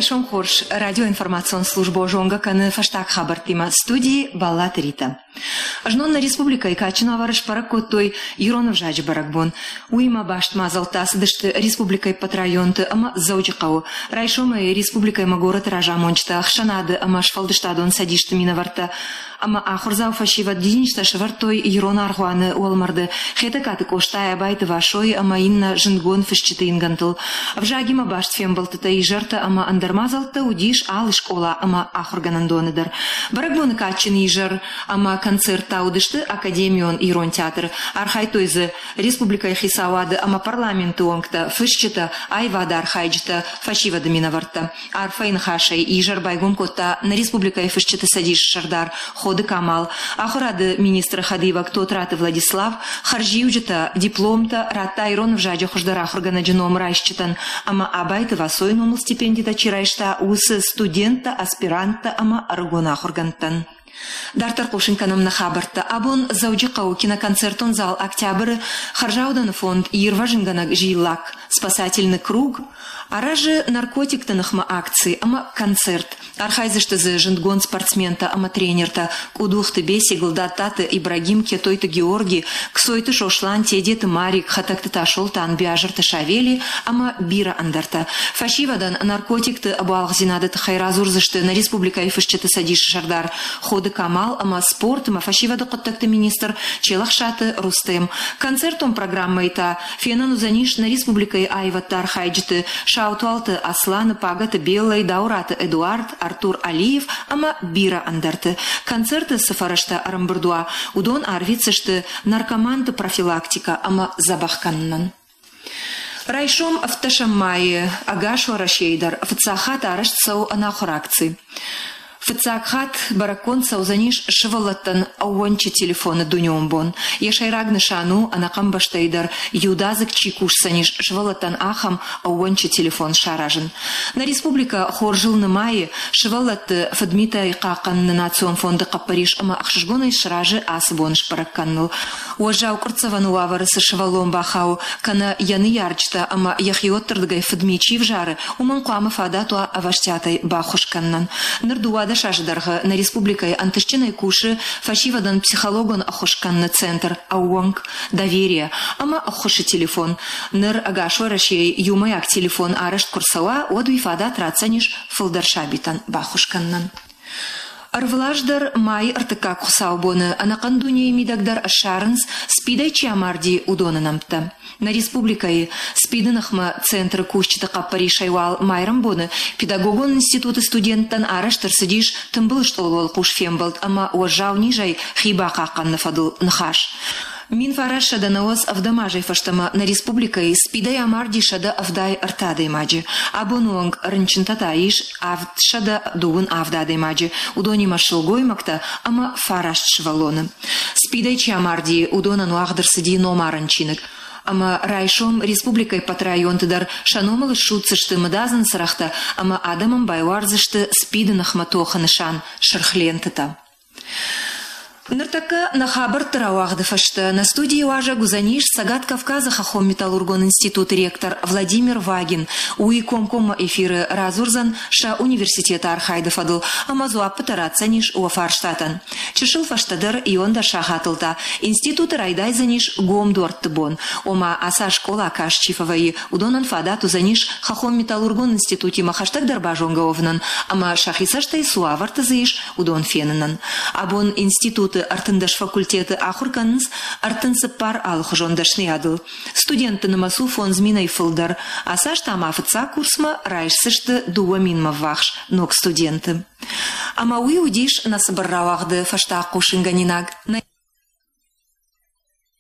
Райсом хорз. Радиоинформацион службӕ зонгӕ кӕны фӕстаг хабӕрттимӕ. Студийы Баллаты Рита. Знон нӕ республикӕйы кадджын уавӕры сбӕрӕг кодтой ирон ӕвзаджы бӕрӕгбон. Уыимӕ баст мадзӕлттӕ ацыдысты республикӕйы ӕппӕт районты ӕмӕ Дзӕуджыхъӕуы. Райсомӕй республикӕйы ӕмӕ горӕты разамонджытӕ, ӕхсӕнады ӕмӕ сфӕлдыстадон цӕдисты минӕвӕрттӕ ӕмӕ ахуырдзау фӕсивӕд дидинджытӕ сӕвӕрдтой ирон аргъуаны уӕлмӕрды Хетӕгкаты Къостайы, Абайты Васойы ӕмӕ иннӕ зындгонд фысджыты ингӕнтыл. Ӕвзагимӕ баст фембӕлдтытӕ, изӕртӕ ӕмӕ ӕндӕр мадзӕлттӕ уыдис алы скъола ӕмӕ ахуыргӕнӕндоны дӕр. Бӕрӕгбоны кадджын изӕр ӕмӕ концерттӕ уыдысты академион ирон театры. Архайдтой дзы республикӕйы хицауады ӕмӕ парламенты уӕнгтӕ, фысджытӕ, аивады архайджытӕ, фӕсивӕды минӕвӕрттӕ. Арфӕйы ныхасӕй изӕр байгом кодта нӕ республикӕйы фысджыты цӕдисы сӕрдар Ходы Камал, ахуырады министры хӕдивӕг Тотраты Владислав, хӕрзиуджытӕ, дипломтӕ радта ирон ӕвзаджы хуыздӕр ахуыргӕнӕджы ном райсджытӕн ӕмӕ Абайты Васойы номыл стипендитӕ чи райста, уыцы студенттӕ, аспиранттӕ ӕмӕ ӕрыгон ахуыргӕндтӕн. Дарддӕр хъусын кӕнӕм нӕ хабӕрттӕ. Абон Дзӕуджыхъӕуы киноконцертон зал «Октябры» хӕрзаудӕны фонд «Ирвӕзынгӕнӕг зиллакк. Спасательный круг» аразы наркотикты ныхмӕ акци ӕмӕ концерт. Архайдзысты дзы зындгонд спортсментӕ ӕмӕ тренертӕ Къудухты Беси, Гуылдаттаты Ибрагим, Кетойты Георги, Ксойты Сослан, Тедеты Марик, Хӕтӕгты Тасолтан, Биазырты Савели ӕмӕ бирӕ ӕндӕртӕ. Фӕсивӕдӕн наркотикты ӕбуалгъдзинады тыххӕй радзурдзысты нӕ республикӕйы фысджыты цӕдисы сӕрдар Ходы Камал ӕмӕ спорт ӕмӕ фӕсивӕды хъуыддӕгты министр Челӕхсаты Рустем. Концертон программӕйы та фенӕн уыдзӕнис нӕ республикӕйы аивӕдты архайджыты Саутуалты Асланы, Пагӕты Беллӕйы, Дауыраты Эдуард, Артур Алиев ӕмӕ бирӕ ӕндӕрты. Концерты цы фӕрӕзтӕ ӕрӕмбырд уа, уыдон арвитдзысты наркоманты профилактикӕ ӕмӕ дзӕбӕх кӕнынӕн. Райсом ӕвддӕсӕм майы ӕгас Уӕрӕсейы дӕр фыццаг хатт арӕзт цӕуы ӕнахуыр акци. Фыццаг хатт бӕрӕггонд цӕудзӕнис сывӕллӕттӕн ӕууӕнчы телефоны дунеон бон. Йӕ сӕйраг нысан у, ӕнӕхъӕн бӕстӕйы дӕр иудадзыг чи кусдзӕнис, сывӕллӕттӕн ахӕм ӕууӕнчы телефон саразын. Нӕ республикӕ хорзыл нымайы сывӕллӕтты фыдмитӕй хъахъхъӕныны национ фонды хъӕппӕрис ӕмӕ ӕхсызгонӕй сразы ацы бон сбӕрӕг кӕныныл. Уӕззау къуырццӕвӕны уавӕры цы сывӕллон бахауы, кӕнӕ йӕ ныййарджытӕ ӕмӕ йӕхиуӕтты рдыгӕй фыдми чи взары, уымӕн хъуамӕ фадат уа ӕвӕстиатӕй баххуыс кӕнынӕн. Ныр 12 азы дӕргъы нӕ республикӕйы ӕнтыстджынӕй кусы фӕсивӕдӕн психологон ӕххуыс кӕныны центр «Ӕууӕнк», «Доверие» ӕмӕ ӕххуысы телефон. Ныр ӕгас Уӕрӕсейы иумӕйаг телефон арӕзт куы рцӕуа, уӕд уый фадат ратдзӕнис фылдӕр сабитӕн баххуыс кӕнынӕн. Ӕрвылаз дӕр майы ӕртыккаг хуыцаубоны ӕнӕхъӕн дунейы мидӕг дӕр ссарынц, СПИДӕй чи амарди, уыдоны нӕмттӕ. Нӕ республикӕйы СПИДы ныхмӕ центры кусджыты хъӕппӕрисӕй уал майрӕмбоны педагогон институты студенттӕн арӕзт ӕрцыдис тымбыл стъолы уӕлхъус фембӕлд ӕмӕ уӕззау низӕй хи бахъахъхъӕныны фӕдыл ныхас. 1997 азӕй фӕстӕмӕ нӕ республикӕйы СПИДӕй амарди 173 адӕймаджы. Абоны онг рынчынтӕ та ис 727 адӕймаджы, уыдонимӕ сылгоймӕгтӕ ӕмӕ фараст сывӕллоны. СПИДӕй чи амарди, уыдонӕн уагъд ӕрцыди номарӕн чиныг. Ӕмӕ райсом республикӕйы ӕппӕт районты дӕр сӕ номыл ссудздзысты мыдадзын цырӕгътӕ ӕмӕ адӕмӕн байуардзысты СПИДы ныхмӕ тохы нысан сырх лентытӕ. Ныртӕккӕ нӕ хабӕртты рауагъды фӕстӕ нӕ студийы уазӕг уыдзӕнис Цӕгат Кавказы хӕххон-металлургон институты ректор Владимир Вагин. Уый комкоммӕ эфиры радзурдзӕн сӕ университеты архайды фӕдыл ӕмӕ дзуаппытӕ ратдзӕнис уӕ фарстатӕн. Чысыл фӕстӕдӕр иондӕр сахатыл та институты райдайдзӕнис гом дуӕртты бон. Ома, ацы аз скъола каст чи фӕвӕййы, уыдонӕн фадат уыдзӕнис хӕххон-металлургон институтимӕ хӕстӕгдӕр базонгӕ уӕвынӕн ӕмӕ сӕхи цӕстӕй цы уавӕрты дзы ис, уыдон фенынӕн. Абон институты 13 факультеты ахуыр кӕнынц 34 алыхуызон дӕсныйадыл. Студентты нымӕц у 5000-ӕй фылдӕр. Ацы аз та ма фыццаг курсмӕ райсдзысты 2000-мӕ ввахс ног студенты. Ӕмӕ уый уыдис нӕ цыбыр рауагъды фӕстаг хъусынгӕнинаг.